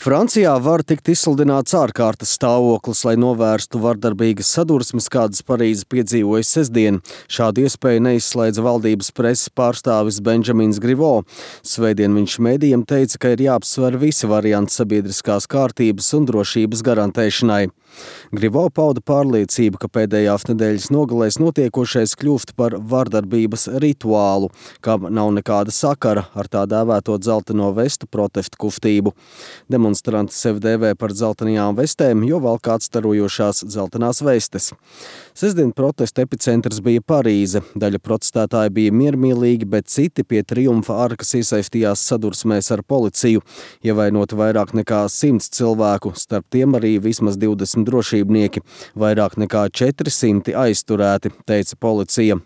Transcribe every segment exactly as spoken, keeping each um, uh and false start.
Francijā var tikt izsludināts ārkārtas stāvoklis, lai novērstu vardarbīgas sadursmes, kādas Parīze piedzīvoja sestdien. Šādu iespēju neizslēdza valdības preses pārstāvis Benjamins Griveaux. Svētdien viņš mēdījiem teica, ka ir jāapsver visi varianti sabiedriskās kārtības un drošības garantēšanai. Griveaux pauda pārliecību, ka pēdējās nedēļas nogalēs notiekošais kļūst par vardarbības rituālu, kam nav nekāda sakara ar tā dēvēto dzelteno vestu protestu kustību. Demonstranti sevi dēvē par dzeltenajām vestēm, jo valk atstarojošās dzeltenās vestes. Sestdien protesta epicentrs bija Parīze. Daļa protestētāji bija miermīlīgi, bet citi pie Triumfa arkas iesaistījās sadursmēs ar policiju, ievainoti vairāk nekā simts cilvēku, starp tiem arī vismaz divdesmit drošībnieki. Vairāk nekā četri simti aizturēti, teica policija.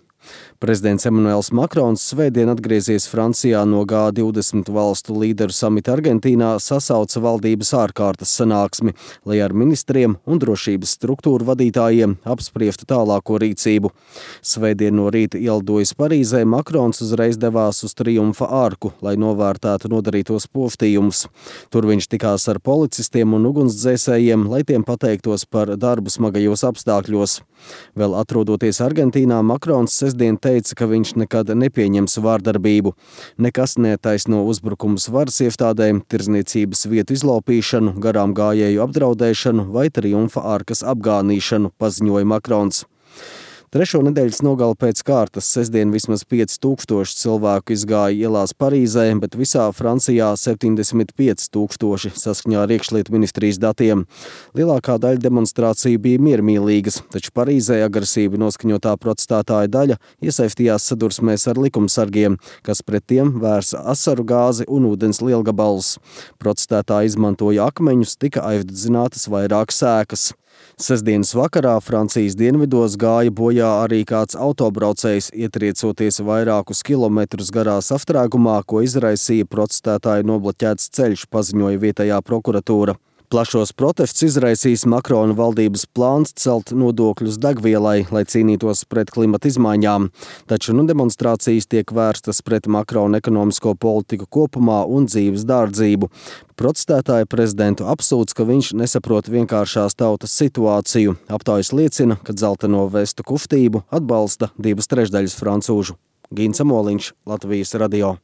Prezidents Emanuels Makrons svētdien atgriezies Francijā no G divdesmit valstu līderu samita Argentīnā, sasauca valdības ārkārtas sanāksmi, lai ar ministriem un drošības struktūru vadītājiem apspriestu tālāko rīcību. Svētdien no rīta ielidojis Parīzē, Makrons uzreiz devās uz Triumfa arku, lai novērtētu nodarītos postījumus. Tur viņš tikās ar policistiem un ugunsdzēsējiem, lai tiem pateiktos par darbu smagajos apstākļos. Vēl atrodoties Argentīnā, Makrons sestdien teica, ka viņš nekad nepieņems vārdarbību. Nekas netaisno uzbrukumus varas iestādēm, tirdzniecības vietu izlaupīšanu, garām gājēju apdraudēšanu vai Triumfa arkas apgānīšanu, paziņoja Makrons. Trešo nedēļas nogali pēc kārtas sestdien vismaz pieci tūkstoši cilvēku izgāja ielās Parīzē, bet visā Francijā septiņdesmit pieci tūkstoši saskaņā ar iekšlietu ministrijas datiem. Lielākā daļa demonstrāciju bija miermīlīgas, taču Parīzē agresīvi noskaņotā protestētāja daļa iesaistījās sadursmēs ar likumsargiem, kas pret tiem vērsa asaru gāzi un ūdens lielgabalus. Protestētāji izmantoja akmeņus, tika aizdedzinātas vairākas ēkas. Sestdienas vakarā Francijas dienvidos gāja bojā arī kāds autobraucējs, ietriecoties vairākus kilometrus garā sastrēgumā, ko izraisīja protestētāju nobloķēts ceļš, paziņoja vietējā prokuratūra. Plašos protestus izraisīs Makrona valdības plāns celt nodokļus degvielai, lai cīnītos pret klimata izmaiņām. Taču nu demonstrācijas tiek vērstas pret Makrona ekonomisko politiku kopumā un dzīves dārdzību. Protestētāji prezidentu apsūdz, ka viņš nesaprot vienkāršās tautas situāciju. Aptaujas liecina, ka dzelteno vestu kustību atbalsta divas trešdaļas francūžu. Gins Amoliņš, Latvijas radio.